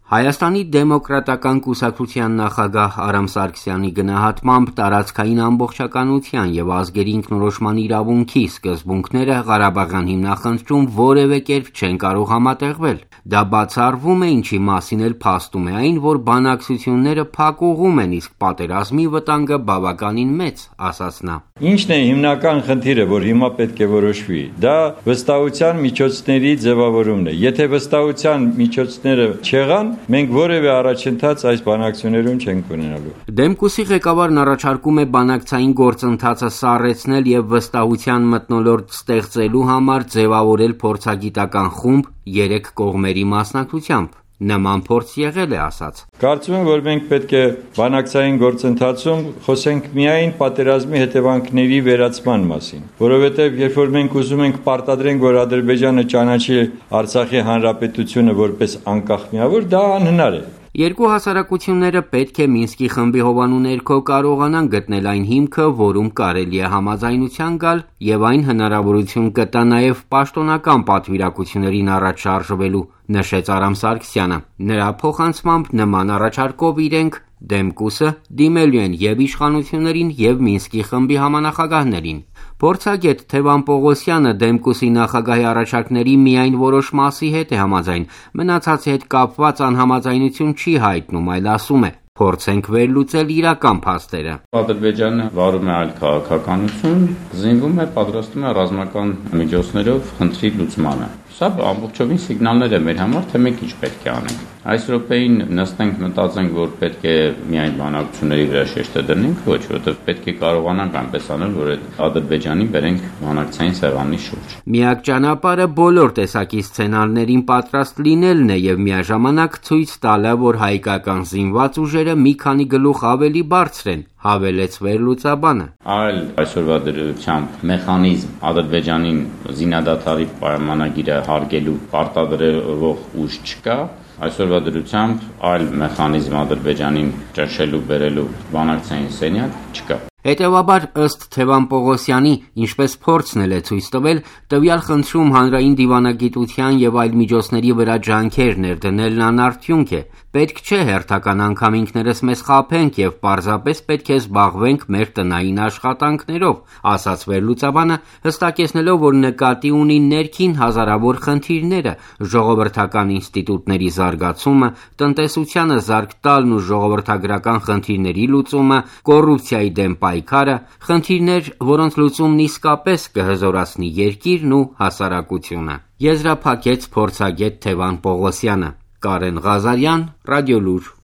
Հայաստանի դեմոկրատական կուսակցության նախագահ Արամ Սարգսյանի գնահատմամբ տարածքային ամբողջականության եւ ազգերի ինքնորոշման իրավունքի սկզբունքները Ղարաբաղյան հիմնախնդրում որևէ կերպ չեն կարող համատեղվել։ Դա բացառվում է, ինչի մասին էլ փաստում է այն, որ բանակցությունները փակուղում են, իսկ պատերազմի վտանգը բավականին մեծ, ասաց նա։ Ինչն է հիմնական խնդիրը, որ հիմա պետք է որոշվի։ Դա վստահության միջոցների ձևավորումն է։ Եթե վստահության միջոցները չեղան, մենք որևէ առաջընթաց այս բանակցություններում չենք ունենալու։ Դեմկուսի ղեկավարն առաջարկում է բանակցային գործընթացը սառեցնել եւ վստահության մթնոլորտ ստեղծելու համար ձևավորել փորձագիտական խումբ 3 կողմերի մասնակցությամբ։ Նման փորձ եղել է, ասաց։ Կարծում եմ, որ մենք պետք է բանակցային գործընթացում խոսենք միայն պատերազմի հետևանքների վերացման մասին, որովհետև երբ որ մենք ուզում ենք պարտադրենք, որ Ադրբեջանը ճանաչի Արցախի հանրապետությունը որպես անկախ միավոր, դա անհնար է։ Երկու հասարակությունները պետք է Մինսկի խմբի հովանու ներքո կարողանան գտնել այն հիմքը, որում կարելի է համաձայնության գալ, եւ այն հնարավորություն կտա նաեւ պաշտոնական պատվիրակություններին առաջ շարժվելու, նշեց Արամ Սարգսյանը։ Նրա փոխանցմամբ նման առաջարկով իրենք Դեմկուսը դիմելու են եւ իշխանություններին եւ Մինսկի խմբի համանախագահներին։ Փորձագետ Թևան Պողոսյանը Դեմկուսի նախագահի առաջարկների միայն որոշ մասի հետ է համաձայն, մնացածի հետ կապված անհամաձայնություն չի հայտնում, այլ ասում է. փորձենք վերլուծել իրական փաստերը։ Ադրբեջանը վարում է այլ քաղաքականություն, զինվում է, պատրաստում է ռազմական միջոցներով խնդրի լուծմանը։ Սա ամբողջովին սիգնալներ է մեր համար, թե մենք ինչ պետք է անենք։ Այս րոպեին նստենք մտածենք, որ պետք է միայն բանակցությունների վրա շեշտը դնենք, ոչ, որովհետև պետք է կարողանանք այնպես անել, որ այդ Ադրբեջանին բերենք բանակցային սեղանի շուրջ։ Միակ ճանապարհը բոլոր տեսակի սցենարներին պատրաստ լինելն է եւ միաժամանակ ցույց տալը, որ հայկական զինված ուժերը մի քանի գլուխ ավելի բարձր են, հավելեց վերլուծաբանը։ Այլ այսօրվա դրությամբ մեխանիզմ Ադրբեջանին զինադադարի պայմանագիրը հարգելու պարտադրող ուժ չկա, այսօրվա դրությամբ այլ մեխանիզմ Ադրբեջանին ճնշելու բերելու բանակցային սենյակ չկա։ Հետևաբար, ըստ Թևան Պողոսյանի, ինչպես փորձն է ցույց տվել, տվյալ խնդրում հանրային դիվանագիտության եւ այլ միջոցների վրա ջանքեր ներդնելն անարդյունք է։ Պետք չէ հերթական անգամ ինքներս մեզ խաբենք եւ պարզապես պետք է զբաղվենք մեր տնային աշխատանքներով, ասաց վերլուծաբանը, հստակեցնելով, որ նկատի ունի ներքին հազարավոր խնդիրները, ժողովրդական ինստիտուտների զարգացումը, տնտեսությանը զարգ տալն ու ժողովրդագրական խնդիրների լուծումը, կոռուպցիայի դեմ պայքարը, խնդիրներ, որոնց լուծումն իսկապես կհզորացնի երկիրն ու հասարակությունը։ Եզրափակեց փորձագետ Թևան Պողոսյանը։ Կարեն Ղազարյան, Ռադիոլուր։